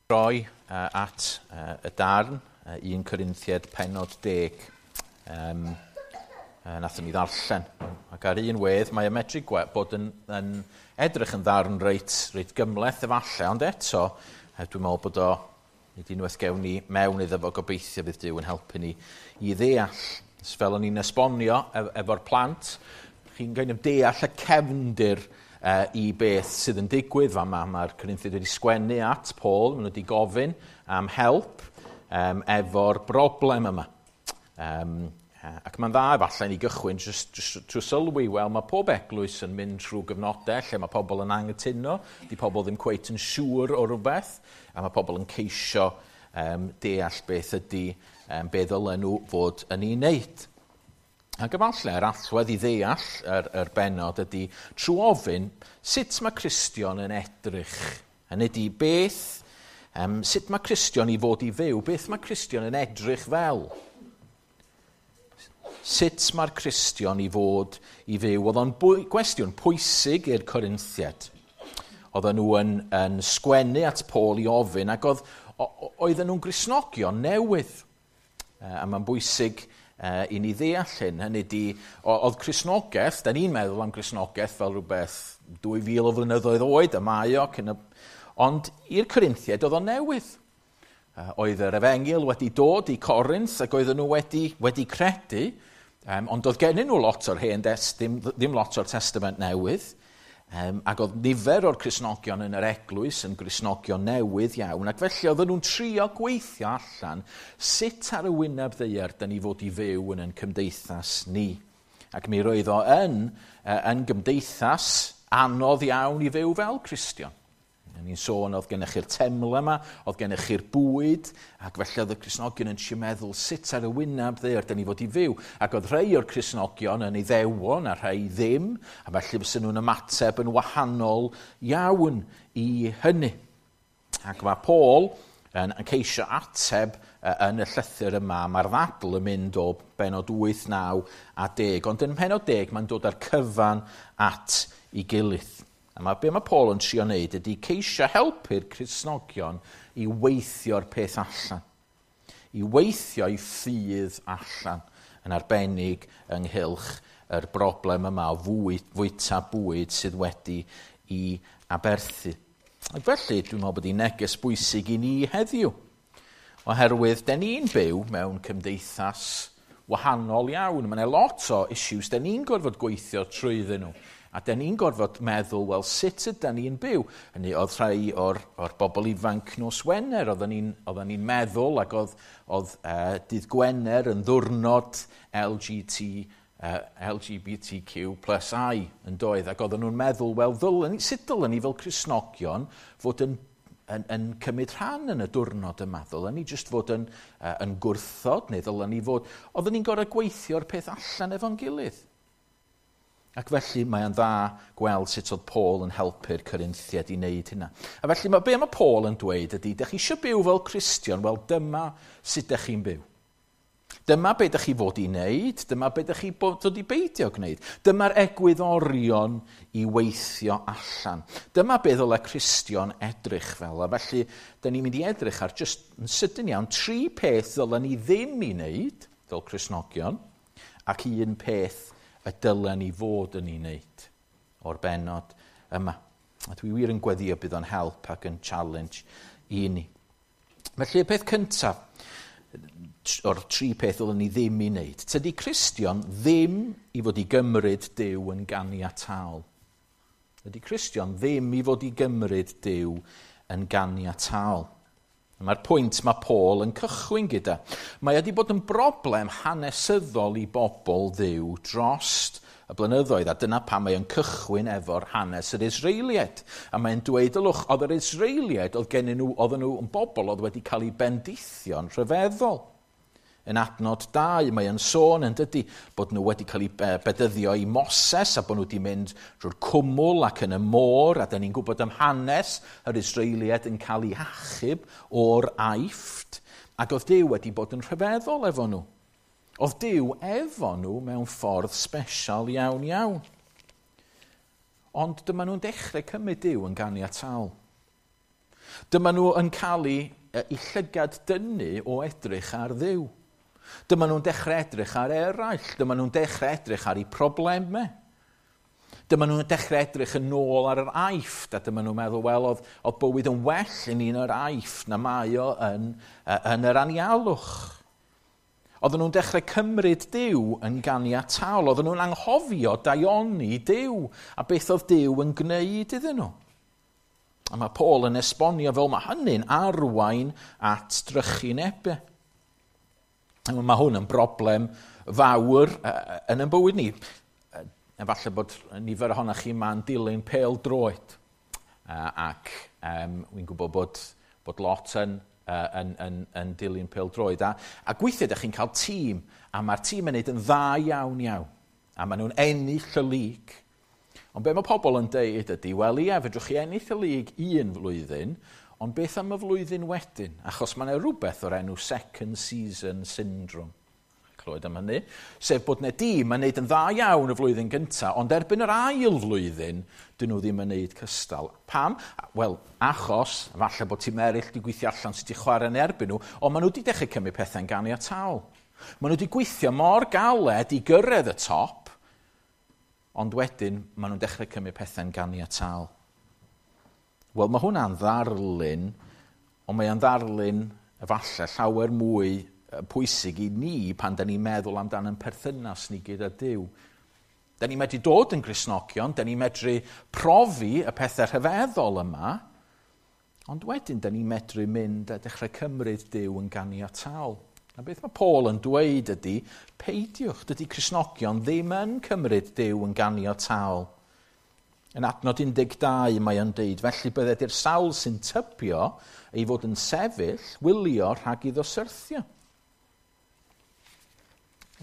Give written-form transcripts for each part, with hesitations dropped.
Droi at y darn, 1 Corinthiaid pennod 10, nathon ni ddarllen. Ac ar un wedd, mae y medru bod yn edrych yn ddarn reit gymhleth efallai, ond eto, dwi'n meddwl bod o, nid unwaith gewn ni mewn iddo fo, gobeithio fydd Duw yn helpu ni i ddeall. Fel o'n i'n esbonio efo'r plant, chi'n kind of deall y cefndir i beth sydd yn digwydd fama. Mae'r Corinthiaid wedi sgwennu at Paul, maen nhw wedi gofyn am help efo'r broblem yma. Ac mae'n dda efallai ni gychwyn just trwy sylwi, wel, mae pob eglwys yn mynd trwy gyfnodau lle mae pobl yn anghytuno, di pobl ddim cweit yn siŵr o rhywbeth, a mae pobl yn ceisio deall beth ydy, be ddylen nhw fod yn ei wneud. Ac efallai yr allwedd i ddeall yr bennod ydy trwy ofyn sut mae Cristion yn edrych. Hynny ydy beth, sut mae Cristion i fod i fyw, beth mae Cristion yn edrych fel? Sut mae'r Cristion i fod i fyw? Oedd o'n gwestiwn pwysig i'r Corinthiaid. Oedden nhw yn sgwennu at Paul i ofyn ac oedden nhw'n Gristnogion newydd. A mae'n bwysig i ni ddeall hyn. Hynny ydy, oedd Cristnogaeth, da ni'n meddwl am Gristnogaeth fel rhywbeth 2000 o flynyddoedd oed, y mae o, ond i'r Corinthiaid oedd o'n newydd. Oedd yr efengyl wedi dod i Corinth ac oedden nhw wedi credu, ond oedd gennyn nhw lot o'r hen ddim lot o'r Testament Newydd, ac oedd nifer o'r Cristnogion yn yr eglwys yn Gristnogion newydd iawn, ac felly oedden nhw'n trio gweithio allan sut ar y wyneb ddaear da ni fod i fyw yn ein cymdeithas ni. Ac mi roedd o yn gymdeithas anodd iawn i fyw fel Cristion. Ni'n sôn oedd gennych chi'r teml yma, oedd gennych chi'r bwyd, ac felly oedd y Cristnogion yn trio meddwl sut ar y wyneb ddaear da ni fod i fyw. Ac oedd rhai o'r Cristnogion yn Iddewon a rhai ddim, a felly fysen nhw'n ymateb yn wahanol iawn i hynny. Ac mae Paul yn ceisio ateb yn y llythyr yma, mae'r ddadl yn mynd o bennod 8, 9 a 10, ond yn pennod 10 mae'n dod â'r cyfan at ei gilydd. A be mae Paul yn trio wneud ydy ceisio helpu'r Cristnogion i weithio'r peth allan. I weithio i ffydd allan, yn arbennig ynghylch yr broblem yma o fwyta bwyd sydd wedi i aberthu. Ac felly, dwi'n meddwl bod hi'n neges bwysig i ni heddiw. Oherwydd, den ni'n byw mewn cymdeithas wahanol iawn. Mae yna lot o issues den ni'n gorfod gweithio trwyddyn nhw. A den ni'n gorfod meddwl, wel, sut ydan ni'n byw? Hynny, oedd rhai o'r bobl ifanc nos Wener, oedden ni'n meddwl, ac oedd dydd Gwener yn ddiwrnod LGBTQ plus I yn doedd. Ac oedden nhw'n meddwl, wel, sut dylen ni fel Cristnogion fod yn cymryd rhan yn y diwrnod yma? Ddylen ni jyst fod yn gwrthod, neu ddylen ni fod... Oedden ni'n gorfod gweithio'r peth allan efo'n gilydd. Ac felly mae'n dda gweld sut oedd Paul yn helpu'r Corinthiaid i wneud hynna. A felly be mae Paul yn dweud ydy, dych chi eisiau byw fel Cristion, wel dyma sut dych chi'n byw. Dyma be dych chi fod i wneud, dyma be dych chi fod i beidio gwneud. Dyma'r egwyddorion i weithio allan. Dyma be ddylai Cristion edrych fel. A felly, dyn ni'n mynd i edrych ar just yn sydyn iawn 3 peth ddylen ni ddim i wneud fel Cristnogion, ac un peth y dylen ni fod yn ei wneud o'r bennod yma. A dwi wir yn gweddio bydd o'n help ac yn challenge i ni. Felly y peth cyntaf, o'r 3 peth ddylen ni ddim i wneud, tydi Cristion ddim i fod i gymryd Duw yn ganiataol. Tydi Cristion ddim i fod i gymryd Duw yn ganiataol. Mae'r pwynt mae Paul yn cychwyn gyda. Mae wedi bod yn broblem hanesyddol i bobl Dduw drost y blynyddoedd, a dyna pam mae o'n cychwyn efo'r hanes yr Israeliaid. A mae'n dweud, ylwch, oedd yr Israeliaid, oedd gennyn nhw, oedden nhw yn bobl oedd wedi cael eu bendithio'n rhyfeddol. Yn adnod 2, mae yn sôn yn dydy bod nhw wedi cael eu bedyddio i Moses a bod nhw wedi mynd drwy'r cwmwl ac yn y môr, a da ni'n gwybod am hanes yr Israeliaid yn cael eu hachub o'r Aifft, ac oedd Duw wedi bod yn rhyfeddol efo nhw. Oedd Duw efo nhw mewn ffordd sbesial iawn iawn. Ond dyma nhw'n dechrau cymryd Duw yn ganiataol. Dyma nhw yn cael eu llygad dynnu o edrych ar Dduw. Dyma nhw'n dechrau edrych ar eraill. Dyma nhw'n dechrau edrych ar eu problemau. Dyma nhw'n dechrau edrych yn ôl ar yr Aifft, a dyma nhw'n meddwl, wel, oedd bywyd yn well i ni yn yr Aifft na mae o yn yr anialwch. Oedden nhw'n dechrau cymryd Duw yn ganiataol. Oedden nhw'n anghofio daioni Duw a beth oedd Duw yn gwneud iddyn nhw. A mae Paul yn esbonio fel mae hynny'n arwain at drychinebau. Mae hwn yn broblem fawr yn ein bywyd ni. Efallai bod nifer ohonoch chi ma'n dilyn pêl droed. Ac wy'n gwybod bod lot yn dilyn pêl droed. A gweithiau ydych chi'n cael tîm, a mae'r tîm yn neud yn dda iawn iawn. A maen nhw'n ennill y lig. Ond be mae pobl yn deud ydy, wel ie, fedrwch chi ennill y lig un flwyddyn, ond beth am y flwyddyn wedyn? Achos mae yna rhywbeth o'r enw second season syndrome. Clywed am hynny. Sef bod yna dîm yn neud yn dda iawn y flwyddyn gyntaf, ond erbyn yr ail flwyddyn, dyn nhw ddim yn neud cystal. Pam? Wel, achos, falle bod tîm eraill wedi gweithio allan sut i chwarae yn erbyn nhw, ond maen nhw wedi dechrau cymryd pethau'n ganiataol. Maen nhw wedi gweithio mor galed i gyrraedd y top, ond wedyn maen nhw'n dechrau cymryd pethau'n ganiataol. Wel, mae hwnna'n ddarlun, ond mae o'n ddarlun efallai llawer mwy pwysig i ni pan da ni'n meddwl amdan ein perthynas ni gyda Duw. Da ni'n medru dod yn Gristnogion, da ni'n medru profi y pethau rhyfeddol yma, ond wedyn da ni'n medru mynd a dechrau cymryd Duw yn ganiataol. A beth mae Paul yn dweud ydy, peidiwch, dydy Cristnogion ddim yn cymryd Duw yn ganiataol. Yn adnod 12 mae o'n deud, felly bydded i'r sawl sy'n tybio ei fod yn sefyll, wylio rhag iddo syrthio.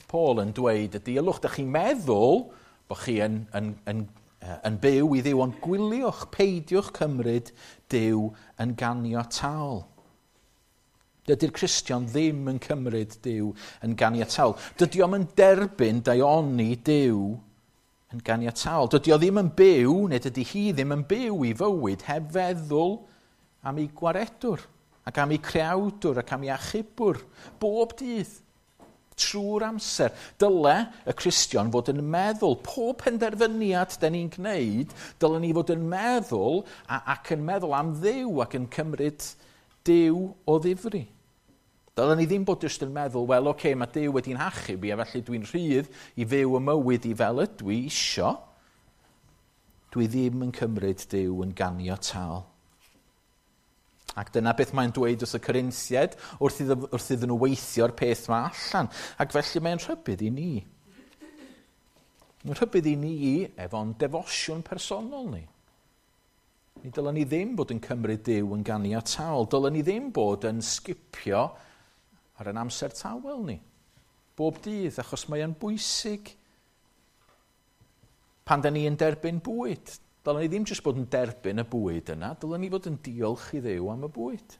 Paul yn dweud ydy, ylwch, dych chi'n meddwl bod chi yn byw i Dduw, ond gwyliwch, peidiwch cymryd Duw yn ganiataol. Dydy'r Cristion ddim yn cymryd Duw yn ganiataol. Dydy o'm yn derbyn daioni Duw yn ganiataol. Dydy o ddim yn byw, neu dydy hi ddim yn byw i fywyd heb feddwl am ei gwaredwr, ac am ei creawdwr, ac am ei achubwr, bob dydd, trwy'r amser. Dyle y Cristion fod yn meddwl, pob penderfyniad da ni'n gwneud, dyle ni fod yn meddwl ac yn meddwl am Dduw ac yn cymryd Duw o ddifri. Dylen ni ddim bod jyst yn meddwl, wel, oce, mae Duw wedi'n hachub i, a felly dwi'n rhydd i fyw y mywyd i fel ydw i isio. Dwi ddim yn cymryd Duw yn ganiataol. Ac dyna beth mae'n dweud wrth y Corinthiaid wrth iddyn nhw weithio'r peth yma allan. Ac felly mae'n rhybudd i ni. Mae'n rhybudd i ni efo'n defosiwn personol ni. Ni dylen ni ddim bod yn cymryd Duw yn ganiataol. Dylen ni ddim bod yn sgipio ar ein amser tawel ni. Bob dydd, achos mae o'n bwysig. Pan da ni yn derbyn bwyd, dylen ni ddim jyst bod yn derbyn y bwyd yna, dylen ni fod yn diolch i Dduw am y bwyd.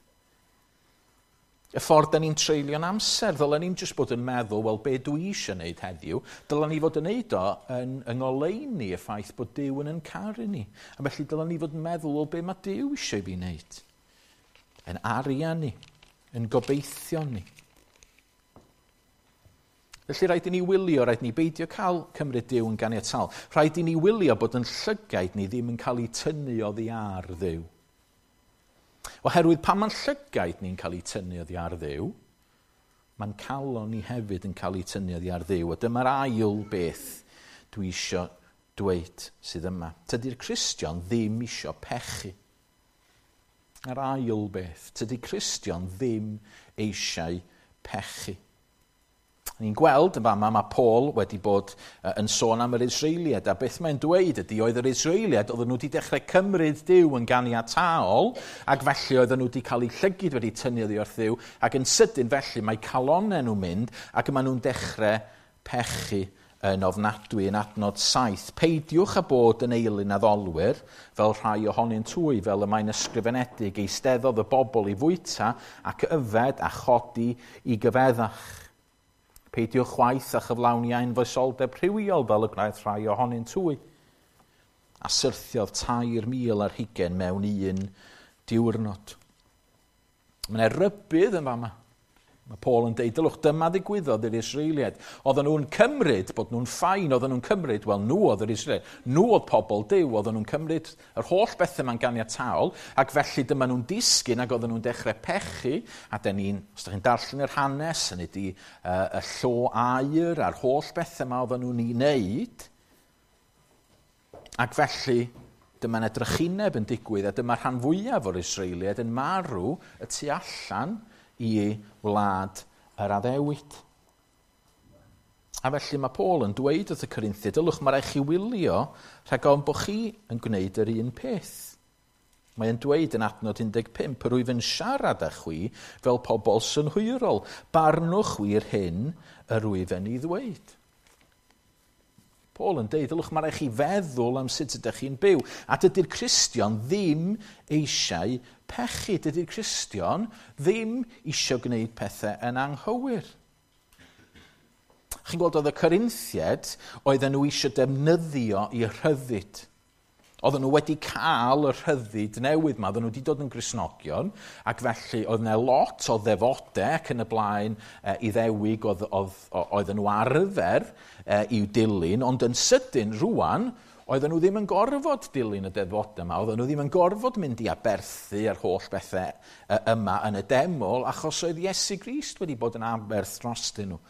Y ffordd da ni'n treulio'n amser, dylen ni'n jyst bod yn meddwl, wel, be dwi eisiau wneud heddiw, dylen ni fod yn neud o yn ngoleuni y ffaith bod Duw yn caru ni. A felly dylen ni fod yn meddwl, wel, be mae Duw eisiau fi wneud? Yn arian ni, yn gobeithio ni. Felly rhaid i ni wylio, rhaid i ni beidio cael cymryd Duw yn ganiataol. Rhaid i ni wylio bod yn llygaid ni ddim yn cael eu tynnu oddi ar Dduw. Oherwydd pan mae'n llygaid ni'n cael eu tynnu oddi ar Dduw, mae'n calon ni hefyd yn cael eu tynnu oddi ar Dduw. A dyma'r ail beth dwi isio dweud sydd yma. Tydi'r Cristion ddim isio pechu. Yr ail beth, tydi Cristion ddim eisiau pechu. Ni'n gweld yn fama mae Paul wedi bod yn sôn am yr Israeliaid, a beth mae'n dweud ydy oedd yr Israeliaid, oedden nhw wedi dechrau cymryd Duw yn ganiataol, ac felly oedden nhw wedi cael eu llygid wedi tynnu oddi wrth Dduw, ac yn sydyn felly mae calonnau nhw'n mynd, ac maen nhw'n dechrau pechu yn ofnadwy yn adnod 7. Peidiwch â bod yn eilun addolwyr, fel rhai ohonynt hwy, fel y mae'n ysgrifenedig, eisteddodd y bobl i fwyta ac yfed a chodi i gyfeddach. Peidiwch chwaith a chyflawni anfoesoldeb rhywiol fel y gwnaeth rhai ohonynt hwy. A syrthiodd 3,000 ar hugain mewn un diwrnod. Mae yna rybudd yn fama. Mae Paul yn deud, dylwch, dyma ddigwyddodd i'r Israeliaid. Oedden nhw'n cymryd bod nhw'n fine, oedden nhw'n cymryd, wel, nhw oedd yr Israeliaid. Nhw oedd pobl Duw, oedden nhw'n cymryd yr holl bethau ma'n ganiataol, ac felly dyma nhw'n disgyn ac oedden nhw'n dechrau pechu, a den ni'n, os ydych chi'n darllen yr hanes, hynny ydi y llo aur a'r holl bethau yma oedden nhw'n ei wneud, ac felly dyma yna drychineb yn digwydd, a dyma rhan fwyaf o'r Israeliaid yn marw y tu allan i wlad yr addewid. A felly mae Paul yn dweud wrth y Corinthiaid, dylwch, mae rhaid chi wylio rhag ofn bod chi yn gwneud yr un peth. Mae'n dweud yn adnod 15, yr wyf yn siarad â chwi fel pobl synhwyrol, barnwch chwi'r hyn yr wyf yn ei ddweud. Paul yn deud, dylwch, mae rhaid chi feddwl am sut ydych chi'n byw. A dydy'r Cristion ddim eisiau pechu. Dydy'r Cristion ddim eisiau gwneud pethau yn anghywir. Chi'n gweld oedd y Corinthiaid, oedden nhw eisiau defnyddio i rhyddid. Oedden nhw wedi cael y rhyddid newydd yma, oedden nhw wedi dod yn Gristnogion, ac felly oedd yna lot o ddefodau ac yn y blaen Iddewig oedden nhw arfer i'w dilyn, ond yn sydyn rwan, oedden nhw ddim yn gorfod dilyn y defodau yma, oedden nhw ddim yn gorfod mynd i aberthu yr holl bethau yma yn y deml, achos oedd Iesu Grist wedi bod yn aberth drostyn nhw.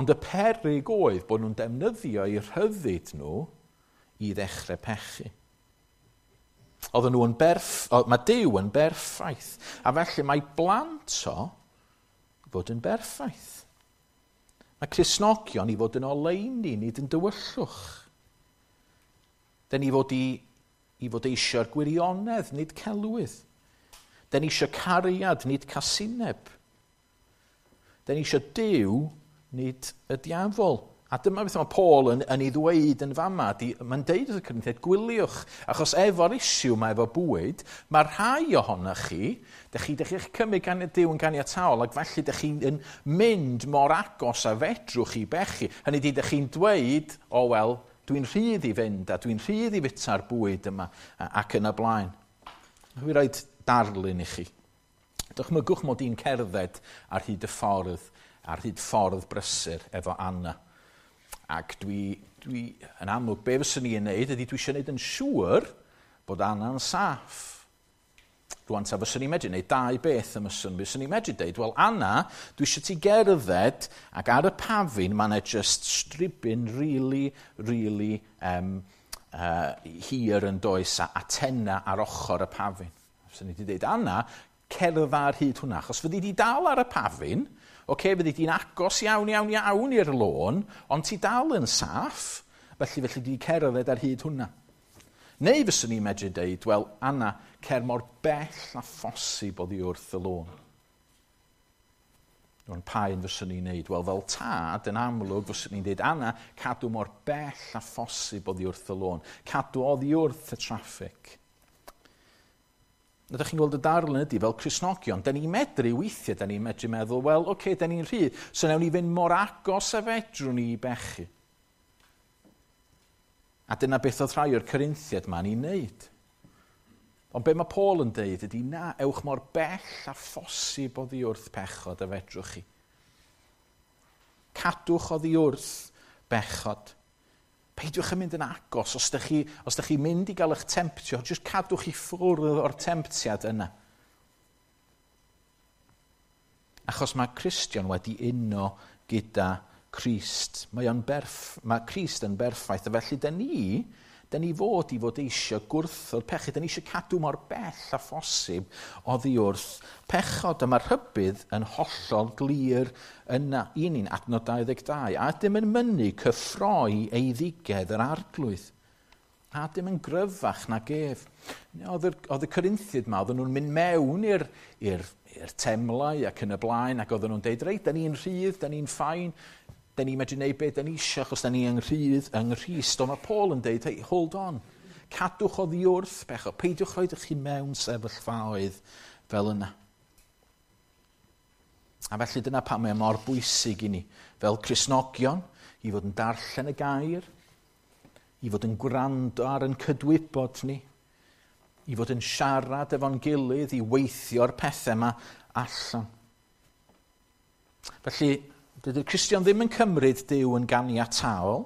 Ond y peryg oedd bod nhw'n defnyddio eu rhyddid nhw i ddechrau pechu. Oedden nhw yn mae Duw yn berffaith, a felly mae blant o fod yn berffaith. Mae Cristnogion i fod yn oleuni, nid yn dywyllwch. Den ni fod i fod eisiau'r gwirionedd, nid celwydd. Den ni eisiau cariad, nid casineb. Den ni eisiau Duw, nid y diafol. A dyma beth mae Paul yn ei ddweud yn fama. Mae'n deud wrth y Corinthiaid, gwyliwch, achos efo'r issue mae efo bwyd, mae rhai ohonoch chi, dych chi'ch cymryd gan Duw yn ganiataol, ac felly dych chi'n mynd mor agos a fedrwch chi bechu. Hynny ydi, dych chi'n dweud, o wel, dwi'n rhydd i fynd a dwi'n rhydd i fita'r bwyd yma ac yn y blaen. Dwi'n rhoi darlun i chi. Dychmygwch mod i'n cerdded ar hyd y ffordd, ar hyd ffordd brysur efo Anna. Ac dwi yn amlwg, be fyswn i'n neud ydy dwi eisiau neud yn siŵr bod Anna'n saff. Rwan ta fyswn i'n medru neud dau beth am yswn. Fyswn i'n medru deud, wel Anna, dwi eisiau ti gerdded ac ar y pafin mae yna just stribyn really, really hir yn does a antenna ar ochr y pafin. Fyswn i wedi deud, Anna, cerdd ar hyd hwnna, achos fyddi di dal ar y pafin, oce, fyddi di'n agos iawn, iawn, iawn i'r lôn, ond ti dal yn saff, felly di cerdded ar hyd hwnna. Neu fyswn i'n medru deud, wel, Anna, cer mor bell a phosib oddi wrth y lôn. Rwan, pa un fyswn i'n neud? Wel, fel tad, yn amlwg, fyswn i'n deud, Anna, cadw mor bell a phosib oddi wrth y lôn. Cadw oddi wrth y traffig. Ydych chi'n gweld y darlun ydy fel Cristnogion, da ni'n medru weithiau, da ni'n medru meddwl, wel, oce, da ni'n rhydd, so nawn ni fynd mor agos a fedrwn ni i bechu. A dyna beth oedd rhai o'r Corinthiaid ma'n ei wneud. Ond be mae Paul yn deud ydy, na, ewch mor bell a phosib oddi wrth pechod a fedrwch chi. Cadwch oddi wrth bechod. Peidiwch yn mynd yn agos, os ydych chi mynd i gael eich temptio, jyst cadwch i ffwrdd o'r temptiad yna. Achos mae Cristion wedi uno gyda Crist. Mae Crist yn berffaith, a felly da ni fod i fod eisiau gwrthod pechu, da ni eisiau cadw mor bell a phosib oddi wrth pechod. A mae'r rhybudd yn hollol glir yna i ni'n adnod 22. A ydym yn mynnu cyffroi eiddigedd yr arglwydd. A ydym yn gryfach nag ef. Oedd y Corinthiaid yma, oedden nhw'n mynd mewn i'r temlau ac yn y blaen, ac oedden nhw'n deud, reit, da ni'n rhydd, da ni'n fine, da ni'n medru gwneud beth da ni eisiau, achos da ni yn rhydd yng Nghrist. Ond mae Paul yn deud, hey, hold on, cadwch oddi wrth bechod, peidiwch rhoi chi mewn sefyllfaoedd fel yna. A felly dyna pam mae mor bwysig i ni, fel Cristnogion, i fod yn darllen y gair, i fod yn gwrando ar yn cydwybod ni, I fod yn siarad efo'n gilydd, i weithio'r pethau yma allan. Felly, dydy'r Cristion ddim yn cymryd Duw yn ganiataol.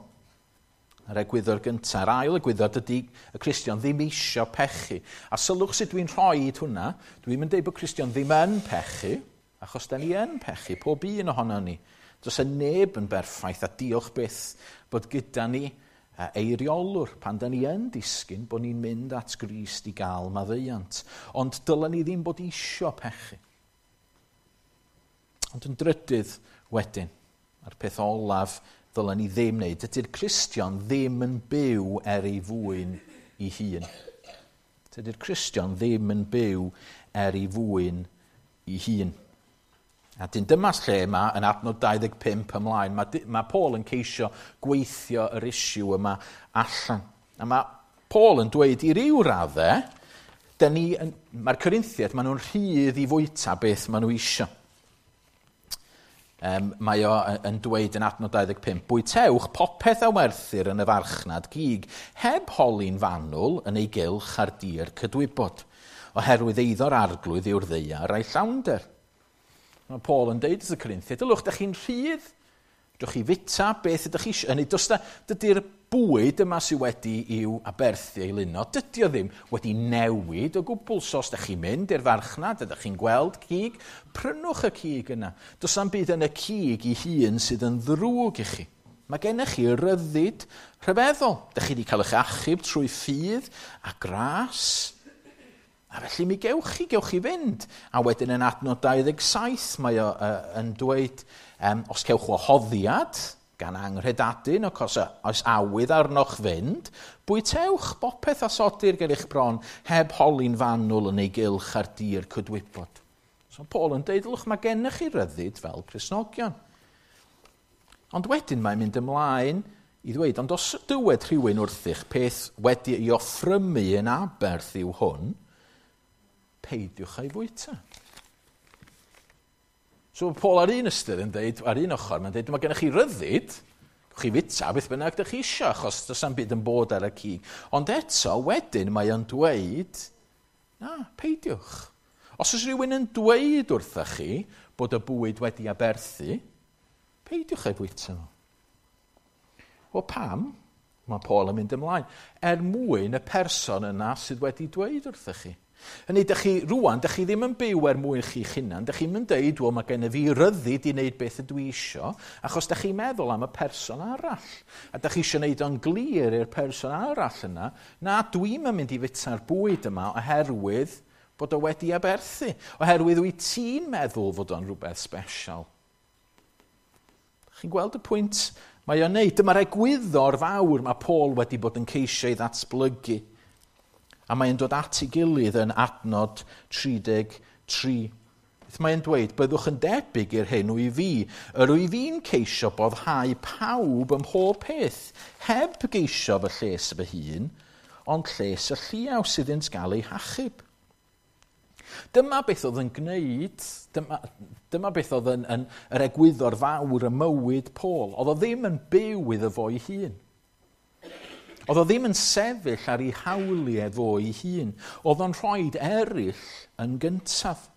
Yr egwyddor gyntaf. Yr ail egwyddor, dydy y Cristion ddim eisiau pechu. A sylwch sut dwi'n rhoi hwnna. Dwi'n mynd dweud bod Cristion ddim yn pechu, achos da ni yn pechu, pob un ohono ni. Does y neb yn berffaith, a diolch byth bod gyda ni eiriolwr pan da ni yn disgyn bod ni'n mynd at Grist i gael maddeuant. Ond dylen ni ddim bod isio pechu. Ond yn drydydd wedyn, a'r peth olaf ddylen ni ddim wneud, dydy'r Cristion ddim yn byw er ei fwyn ei hun. Dydy'r Cristion ddim yn byw er ei fwyn ei hun. A dyn dyma lle yma, yn adnod 25 ymlaen, mae Paul yn ceisio gweithio yr isiw yma allan. A mae Paul yn dweud i ryw raddau, mae'r Corinthiaid, maen nhw'n rhydd i fwyta beth maen nhw isio. Mae o yn dweud yn adnod 25, bwytewch popeth a werthir yn y farchnad gig, heb holi'n fanwl yn ei gylch ar dir cydwybod, oherwydd eiddo'r arglwydd yw'r ddaear a'i llawnder. Mae Paul yn deud wrth y Corinthiaid, dylwch, ydych chi'n rhydd, dwch chi fita beth ydych chi eisiau. Hynny, dydy'r bwyd yma sydd wedi i'w aberthu ei luno, dydy o ddim wedi newid o gwbl. So os ydych chi'n mynd i'r farchnad, ydych chi'n gweld cig, prynwch y cig yna. Does na'm byd yn y cig ei hun sydd yn ddrwg i chi. Mae gennych chi ryddid rhyfeddol. Ydych chi wedi cael eich achub trwy ffydd a gras. A felly mi gewch chi fynd. A wedyn yn adnod 27 mae o yn dweud, os cewch wahoddiad gan anghredadun, ac os oes awydd arnoch fynd, bwytewch bopeth a sodir ger eich bron, heb holi'n fanwl yn ei gylch ar dir cydwybod. So Paul yn deud, lwch, mae gennych chi ryddid fel Cristnogion. Ond wedyn mae'n mynd ymlaen i ddweud, ond os dywed rhywun wrthych peth wedi ei offrymu yn aberth yw hwn, peidiwch â'i fwyta. So Paul ar un ystyr yn dweud, ar un ochr, mae'n dweud, mae gennych chi ryddid, chi fita beth bynnag ydych chi isio, achos does na'm byd yn bod ar y cig. Ond eto, wedyn, mae o'n dweud, na, peidiwch. Os oes rhywun yn dweud wrthych chi bod y bwyd wedi aberthu, peidiwch â'i fwyta fo. Wel, pam? Mae Paul yn mynd ymlaen. Er mwyn y person yna sydd wedi dweud wrthych chi. Hynny, dych chi, rwan, dych chi ddim yn byw er mwyn chi'ch hunan, dych chi'n mynd deud, wel, mae gennyf fi ryddid i wneud beth ydw i isio, achos dych chi'n meddwl am y person arall. A dych chi eisiau gwneud o'n glir i'r person arall yna, na, dwi'm yn mynd i fita'r bwyd yma oherwydd bod o wedi aberthu, oherwydd wyt ti'n meddwl fod o'n rhywbeth special. Chi'n gweld y pwynt mae o'n neud? Dyma'r egwyddor fawr mae Paul wedi bod yn ceisio ei ddatblygu. A mae'n dod at ei gilydd yn adnod 33. Beth mae'n dweud, byddwch yn debyg i'r hyn wyf fi. Yr wyf fi'n ceisio boddhau pawb ym mhob peth, heb geisio fy lles fy hun, ond lles y lliaws iddynt gael eu hachub. Dyma beth oedd yn gwneud, dyma beth oedd yn yr egwyddor fawr ym mywyd Paul. Oedd o ddim yn byw iddo fo'i hun. Oedd o ddim yn sefyll ar ei hawliau fo'i hun. Oedd o'n rhoi eraill yn gyntaf.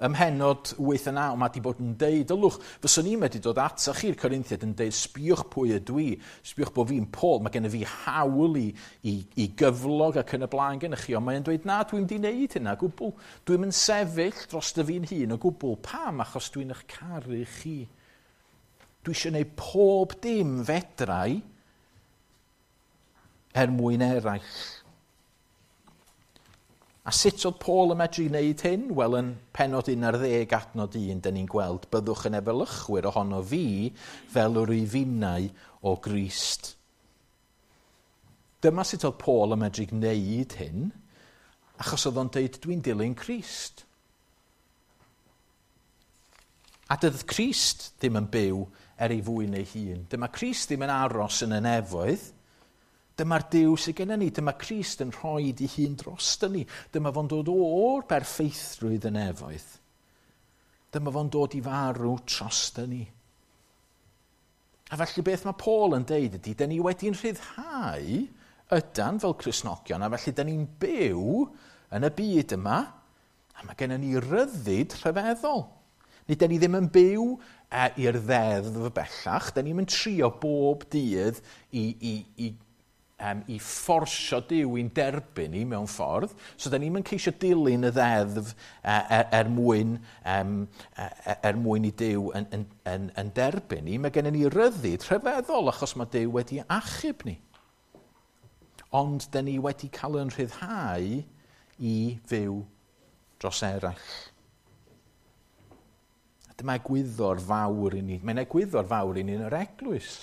Ym mhennod 8 a 9, mae di bod yn deud, ylwch, fyswn i'n medru dod atoch chi'r Corinthiaid yn deud, sbiwch pwy ydw i, sbiwch bod fi'n Paul, mae gennyf fi hawl i gyflog ac yn y blaen gennych chi, ond mae'n dweud, na, dwi'n di wneud hynna gwbl. Dwi'n mynd sefyll dros dy fi'n hun o gwbl. Pam? Achos dwi'n eich caru chi. Dwi eisiau gwneud pob dim fedrai er mwyn eraill. A sut oedd Paul yn medru wneud hyn? Wel, yn pennod 11 adnod 1, dyn ni'n gweld, byddwch yn efelychwyr ohono fi fel yr wyf finnau o Grist. Dyma sut oedd Paul yn medru gwneud hyn, achos oedd o'n deud, dwi'n dilyn Crist. A dydd Crist ddim yn byw er ei fwyn ei hun. Dyma Crist ddim yn aros yn y nefoedd. Dyma'r Duw sydd gennym ni. Dyma Crist yn rhoi ei hun drosto ni. Dyma fo'n dod o'r berffeithrwydd y nefoedd. Dyma fo'n dod i farw drosto ni. A felly beth mae Paul yn deud ydy, dyn ni wedi'n rhyddhau Ydan fel Cristnogion, a felly da ni'n byw yn y byd yma, a mae gennym ni ryddid rhyfeddol. Nid da ni ddim yn byw i'r ddeddf bellach, da ni'n trio bob dydd i fforsio Duw i'n derbyn ni mewn ffordd. So da ni'n ceisio dilyn y ddeddf er mwyn i Duw yn derbyn ni. Mae gennym ni ryddid rhyfeddol achos mae Duw wedi achub ni. Ond da ni wedi cael yn rhyddhau i fyw dros eraill. A dyma egwyddor fawr i ni. Mae'n egwyddor fawr i ni yn yr eglwys.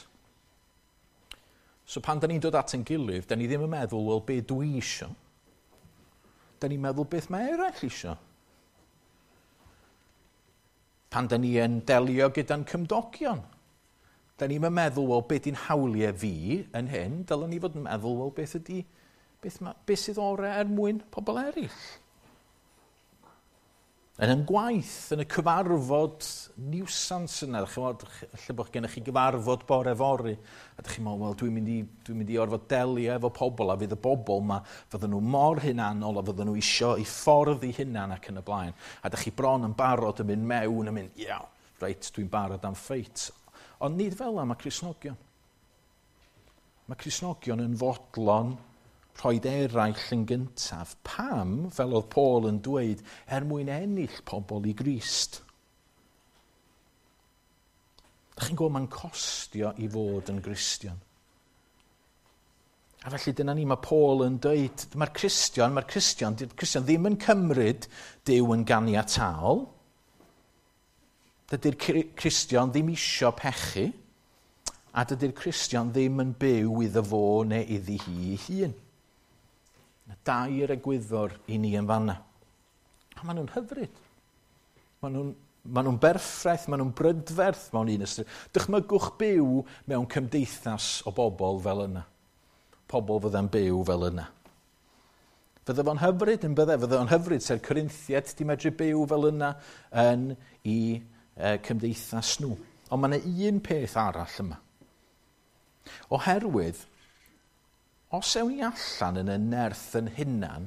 So pan da ni'n dod at ein gilydd, da ni ddim yn meddwl, "Wel, be dwi isio?" Da ni'n meddwl beth mae eraill isio. Pan da ni yn delio gyda'n cymdogion, da ni'n meddwl, "Wel, be di'n hawliau fi yn hyn?" Dylen ni fod yn meddwl, "Wel, beth sydd orau er mwyn pobl eraill?" Yn yn gwaith, yn y cyfarfod niwsans yna, chymod, lle bod gennych chi gyfarfod bore fory, a ydych chi'n meddwl, "Wel, dwi'n mynd i orfod delio efo pobl, a fydd y bobl yma, fydden nhw mor hunanol, a fydden nhw isio i ffordd i hunan ac yn y blaen." A ydych chi bron yn barod yn mynd mewn, yn mynd, "Ia, reit, dwi'n barod am ffeit." Ond nid fel yna mae Cristnogion. Mae Cristnogion yn fodlon rhoi eraill yn gyntaf. Pam, fel oedd Paul yn dweud, er mwyn ennill pobl i Grist. Dych chi'n gwybod, mae'n costio i fod yn Gristion. A felly dyna ni, mae Paul yn dweud, mae'r Cristion ddim yn cymryd Duw yn ganiataol. Dydy'r Cristion ddim isio pechu, a dydy'r Cristion ddim yn byw iddo fo neu iddi hi ei hun. Dair egwyddor i ni yn fanna. A maen nhw'n hyfryd. Maen nhw berffaith, maen nhw'n brydferth mewn un ystyr. Dychmygwch byw mewn cymdeithas o bobl fel yna. Pobl fydda'n byw fel yna. Fydde fo'n hyfryd yn bydde, fydde fo'n hyfryd se'r Corinthiaid di medru byw fel yna yn i cymdeithas nhw. Ond mae yna un peth arall yma. Oherwydd, os ewn ni allan yn y nerth yn hunan,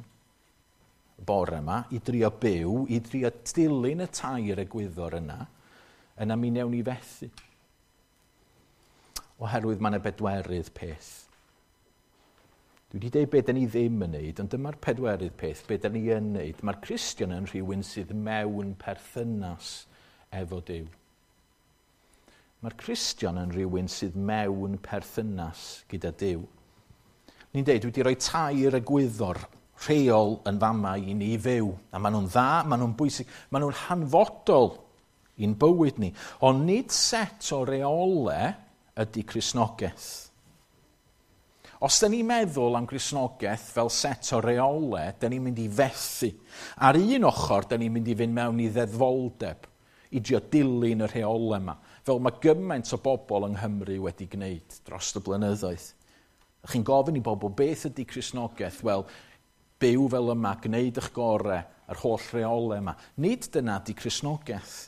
bore yma, i drio byw, i drio dilyn y tair egwyddor yna, yna mi newn ni fethu. Oherwydd mae yna bedwerydd peth. Dwi wedi dweud beth da ni ddim yn neud, ond dyma'r pedwerydd peth, beth da ni yn neud. Mae'r Cristion yn rhywun sydd mewn perthynas efo Duw. Mae'r Cristion yn rhywun sydd mewn perthynas gyda Duw. Ni'n dweud, dwi wedi rhoi tair egwyddor rheol yn fama i ni fyw. A maen nhw'n dda, maen nhw'n bwysig, maen nhw'n hanfodol i'n bywyd ni. Ond nid set o reolau ydy Cristnogaeth. Os da ni'n meddwl am Gristnogaeth fel set o reolau, da ni'n mynd i fethu. Ar un ochr, da ni'n mynd i fynd mewn i ddeddfoldeb, i drio dilyn y rheolau yma, fel mae gymaint o bobl yng Nghymru wedi gwneud dros y blynyddoedd. Chi'n gofyn i bobl beth ydy Cristnogaeth? Wel, byw fel yma, gwneud eich gorau, yr holl reolau yma. Nid dyna ydy Cristnogaeth.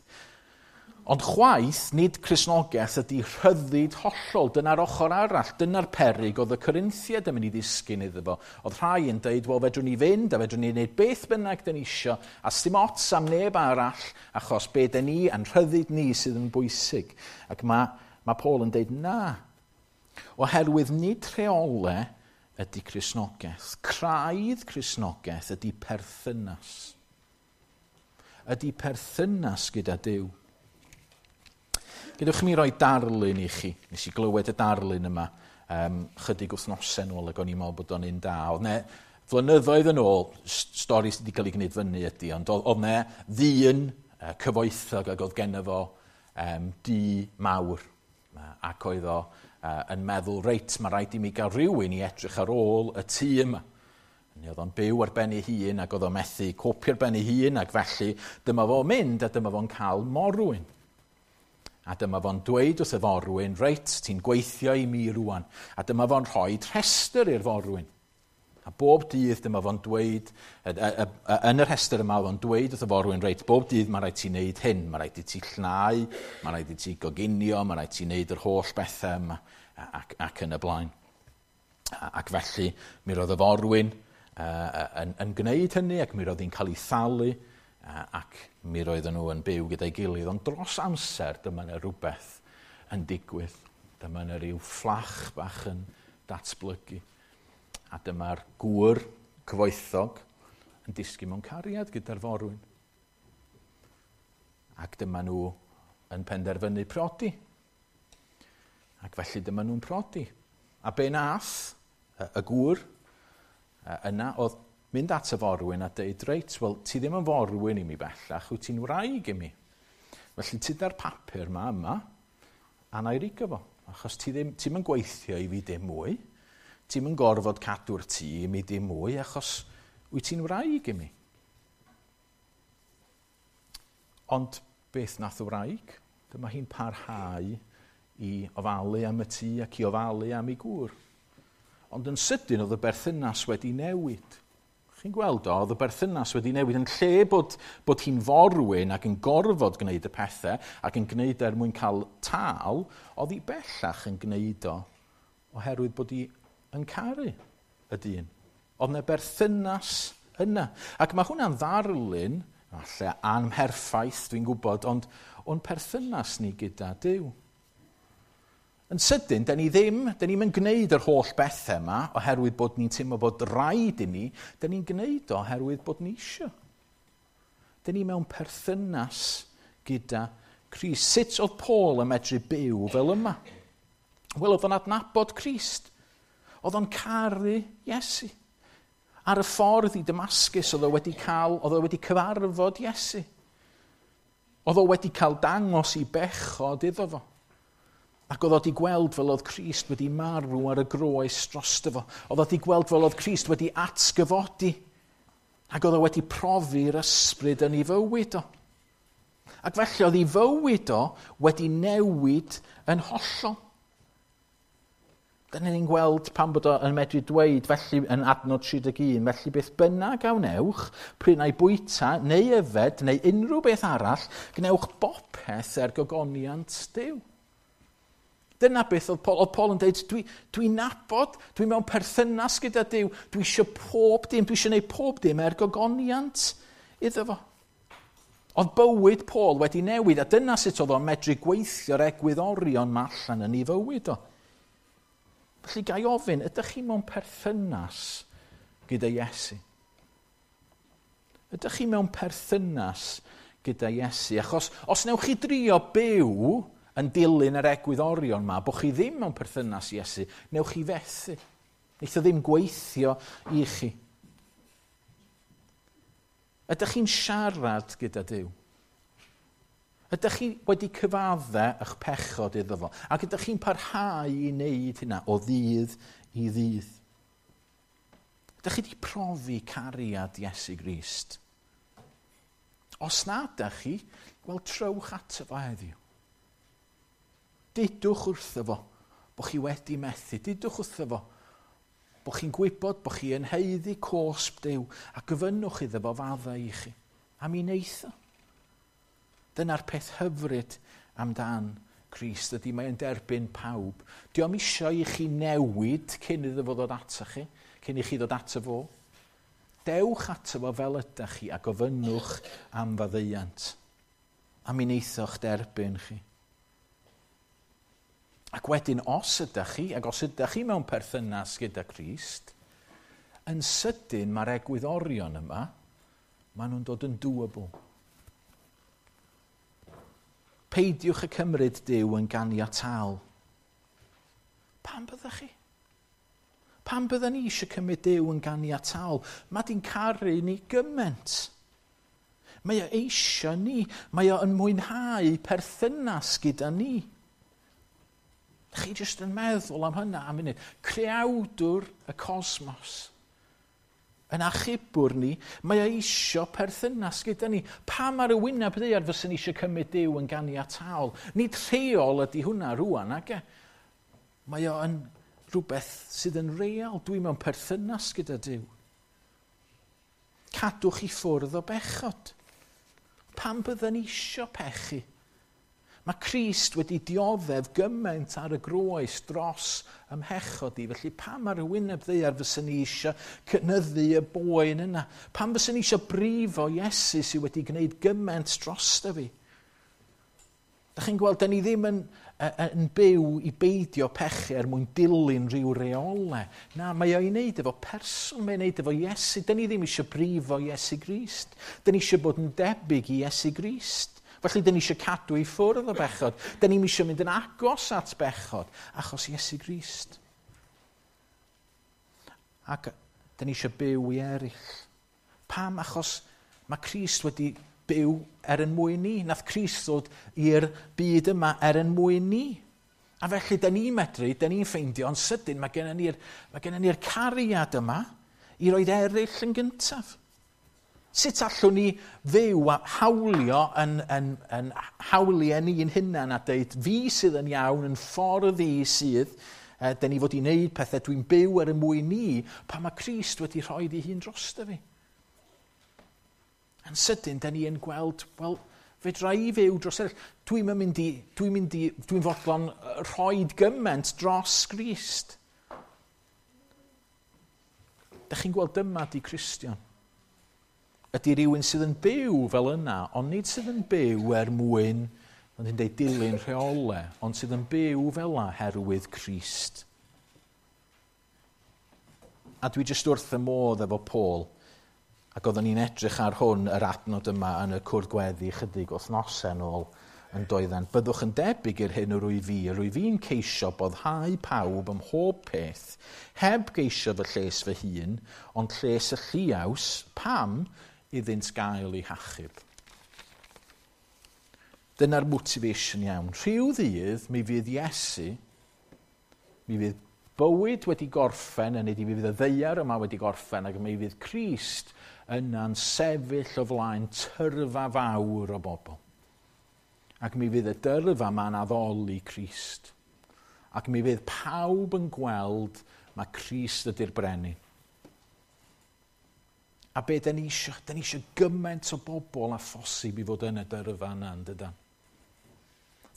Ond chwaith, nid Cristnogaeth ydy rhyddid hollol. Dyna'r ochr arall. Dyna'r perig oedd y Corinthiaid yn mynd i ddisgyn iddo fo. Oedd rhai yn dweud, "Wel, fedrwn ni fynd a fedrwn ni wneud beth bynnag dyn ni isio, a sdim ots am neb arall, achos be dyn ni a'n rhyddid ni sydd yn bwysig." Ac mae Paul yn dweud, na. Oherwydd nid rheolau ydy Cristnogaeth. Craidd Cristnogaeth ydy perthynas. Ydy perthynas gyda Duw. Gadewch i mi roi darlun i chi. Nes i glywed y darlun yma chydig wythnosau nôl ac o'n i'n meddwl bod o'n un da. Oedd 'ne flynyddoedd yn ôl, stori sydd wedi cael ei gwneud fyny ydy, ond oedd 'ne ddyn cyfoethog ac oedd genno fo dŷ mawr. Ac oedd o yn meddwl, "Reit, mae rhaid i mi gael rhywun i edrych ar ôl y tŷ yma." Neu oedd o'n byw ar ben ei hun ac oedd o'n methu copio ar ben ei hun ac felly dyma fo'n mynd a dyma fo'n cael morwyn. A dyma fo'n dweud wrth y forwyn, "Reit, ti'n gweithio i mi rwan." A dyma fo'n rhoi rhestr i'r forwyn. A bob dydd dyma fo'n dweud, yn y rhestr yma, oedd o'n dweud wrth y forwyn, "Reit, bob dydd mae rhaid ti wneud hyn, mae rhaid i ti llnau, mae rhaid i ti goginio, mae rhaid ti wneud yr holl bethau yma," ac yn y blaen. Ac felly, mi roedd y forwyn yn gwneud hynny ac mi roedd hi'n cael ei thalu ac mi roedden nhw yn byw gyda'i gilydd. Ond dros amser, dyma yna rhywbeth yn digwydd. Dyma yna rhyw fflach bach yn datblygu. A dyma'r gŵr cyfoethog yn disgyn mewn cariad gyda'r forwyn. Ac dyma nhw yn penderfynu prodi. Ac felly dyma nhw'n prodi. A be nath y gŵr yna oedd mynd at y forwyn a deud, reit, wel, ti ddim yn forwyn i mi bellach, wyt ti'n wraig i mi. Felly tuda'r papur ma yma, a na i rigo fo, achos ti ddim, ti'm yn gweithio i fi dim mwy, ti'm yn gorfod cadw'r tŷ i mi dim mwy, achos wyt ti'n wraig i mi. Ond beth nath y wraig? Dyma hi'n parhau i ofalu am y tŷ ac i ofalu am ei gŵr. Ond yn sydyn oedd y berthynas wedi newid. Chi'n gweld o, oedd y berthynas wedi newid yn lle bod hi'n forwyn ac yn gorfod gwneud y pethau ac yn gwneud er mwyn cael tâl, oedd hi bellach yn gwneud o oherwydd bod hi yn caru y dyn. Oedd yna berthynas yna. Ac mae hwnna'n ddarlun, falle anmherffaith dwi'n gwybod, ond o'n perthynas ni gyda Duw. Yn sydyn, da ni ddim, da ni'm yn gwneud yr holl bethau yma oherwydd bod ni'n teimlo bod rhaid i ni, da ni'n gwneud o oherwydd bod ni isio. Da ni mewn perthynas gyda Crist. Sut oedd Paul yn medru byw fel yma? Wel, oedd o'n adnabod Crist. Oedd o'n caru Iesu. Ar y ffordd i Damascus, oedd o wedi cael, oedd o wedi cyfarfod Iesu. Oedd o wedi cael dangos i bechod iddo fo. Ac oedd o wedi gweld fel oedd Crist wedi marw ar y groes drosto fo. Oedd o wedi gweld fel oedd Crist wedi atgyfodi. Ac oedd o wedi profi'r ysbryd yn ei fywyd o. Ac felly oedd ei fywyd o wedi newid yn hollol. Dyna ni'n gweld pan bod o yn medru dweud, felly yn adnod 31, felly beth bynnag a wnewch, pryn ai bwyta neu yfed neu unrhyw beth arall, gwnewch bopeth er gogoniant Duw. Dyna beth oedd Paul, oedd Paul yn dweud, dwi'n nabod, dwi mewn perthynas gyda Duw, dwi eisiau pob dim, dwi eisiau gwneud pob dim er gogoniant iddo fo. Oedd bywyd Paul wedi newid, a dyna sut oedd o'n medru gweithio'r egwyddorion ma allan yn ei fywyd o. Felly ga i ofyn, ydych chi mewn perthynas gyda Iesu? Ydych chi mewn perthynas gyda Iesu? Achos os newch chi drio byw yn dilyn yr egwyddorion ma, bod chi ddim mewn perthynas Iesu, newch chi fethu. Neith o ddim gweithio i chi. Ydych chi'n siarad gyda Duw? Ydych chi wedi cyfadde eich pechod iddo fo? Ac ydych chi'n parhau i wneud hynna o ddydd i ddydd? Ydych chi wedi profi cariad Iesu Grist? Os na ydych chi, wel trowch ato fo heddiw. Dudwch wrtho fo bod chi wedi methu. Dudwch wrtho fo bod chi'n gwybod bod chi yn haeddu cosb Duw a gofynnwch iddo fo faddau i chi. A mi wneith o. Dyna'r peth hyfryd amdan Crist ydy mae'n derbyn pawb. Dio'm isio i chi newid cyn iddo fo ddod ato chi, cyn i chi ddod ato fo. Dewch ato fo fel ydych chi a gofynnwch am faddeuant. A mi wneithoch derbyn chi. Ac wedyn, os ydych chi, ac os ydych chi mewn perthynas gyda Crist, yn sydyn mae'r egwyddorion yma, maen nhw'n dod yn doable. Peidiwch y cymryd Duw yn ganiataol. Pam byddech chi? Pam bydden ni eisiau cymryd Duw yn ganiataol? Mae di'n caru ni gymaint. Mae o eisiau ni. Mae o yn mwynhau perthynas gyda ni. Chi jyst yn meddwl am hynna am munud. Creawdwr y cosmos. Yn achubwr ni, mae o eisio perthynas gyda ni. Pam ar y wyneb ddaear fyswn ni eisiau cymryd Duw yn ganiataol? Nid rheol ydy hwnna rŵan, ag e? Mae o yn rhywbeth sydd yn real. Dwi mewn perthynas gyda Duw. Cadwch i ffwrdd o bechod. Pam bydden ni eisio pechu? Mae Crist wedi dioddef gymaint ar y groes dros ymhechod i, felly pam ar y wyneb ddaear fyswn ni eisiau cynyddu y boen yna? Pam fyswn ni eisiau brifo Iesu sydd wedi gwneud gymaint drosto fi? Da chi'n gweld, da ni ddim yn byw i beidio pechu er mwyn dilyn rhyw reolau. Na, mae o'i wneud efo person, mae'n wneud efo Iesu. Da ni ddim eisiau brifo Iesu Grist. Da ni eisiau bod yn debyg i Iesu Grist. Felly, da ni eisiau cadw i ffwrdd o bechod. Da ni'n eisiau mynd yn agos at bechod, achos Iesu Grist. Ac da ni eisiau byw i eraill. Pam? Achos mae Crist wedi byw er yn mwyn ni. Nath Crist ddod i'r byd yma er yn mwyn ni. A felly, da ni'n medru, da ni'n ffeindio, yn sydyn, mae gennym ni'r cariad yma i roed eraill yn gyntaf. Sut allwn ni fyw a hawlio yn hawliau ni'n hunan a deud fi sydd yn iawn, yn ffordd i sydd, da ni fod i wneud pethau, dwi'n byw er y mwyn ni, pan mae Crist wedi rhoi ei hun drosto fi. Yn sydyn, da ni yn gweld, wel, fedra i fyw dros eraill. Dwi'n fodlon rhoi gymaint dros Grist. Da chi'n gweld dyma di Cristion. Ydy rhywun sydd yn byw fel yna, ond nid sydd yn byw er mwyn, ond hi'n deud dilyn rheolau, ond sydd yn byw fel yna herwydd Crist. A dwi jyst wrth y modd efo Paul, ac oeddwn ni'n edrych ar hwn, yr adnod yma yn y cwrdd gweddi chydig wythnosau yn ôl yn doedden. Byddwch yn debyg i'r hyn yr wyf fi, yr wyf fi'n ceisio boddhau pawb ym mhob peth, heb geisio fy lles fy hun, ond lles y lliaws, pam iddynt gael eu hachub. Dyna'r motivation iawn. Rhyw ddydd, mi fydd Iesu, mi fydd bywyd wedi gorffen, yn mi fydd y ddaear yma wedi gorffen, ac mi fydd Crist yna'n sefyll o flaen tyrfa fawr o bobl. Ac mi fydd y dyrfa yma'n addoli Crist. Ac mi fydd pawb yn gweld mae Crist ydy'r brenin. A be da ni eisiau? Da ni eisiau gymaint o bobl a phosib i fod yn y dyrfa yna, yn dydan?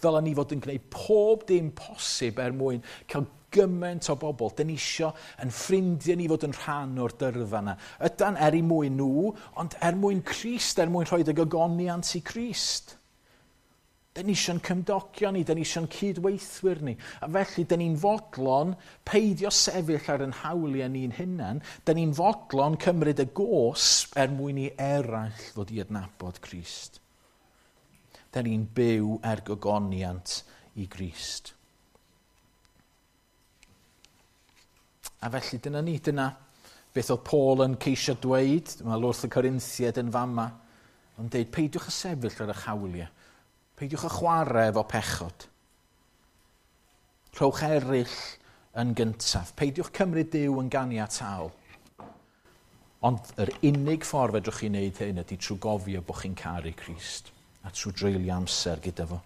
Ddylen ni fod yn gwneud pob dim posib er mwyn cael gymaint o bobl. Da ni eisiau yn ffrindiau ni fod yn rhan o'r dyrfa yna. Ydan er i mwyn nhw, ond er mwyn Crist, er mwyn rhoi y gogoniant i Crist. Da ni eisiau'n cymdogion ni, da ni eisiau'n cydweithwyr ni. A felly, da ni'n fodlon peidio sefyll ar yn hawliau ni'n hunan. Da ni'n fodlon cymryd y gosb er mwyn i eraill ddod i adnabod Crist. Da ni'n byw er gogoniant i Grist. A felly dyna ni, dyna beth oedd Paul yn ceisio dweud, mae wrth y Corinthiaid yn fama, ond deud, peidiwch â sefyll ar eich hawliau, peidiwch â chwarae efo pechod. Rhowch eraill yn gyntaf, peidiwch cymryd Duw yn ganiataol. Ond yr unig ffordd fedrwch chi wneud hyn ydy trwy gofio bod chi'n caru Crist a trwy dreulio amser gyda fo.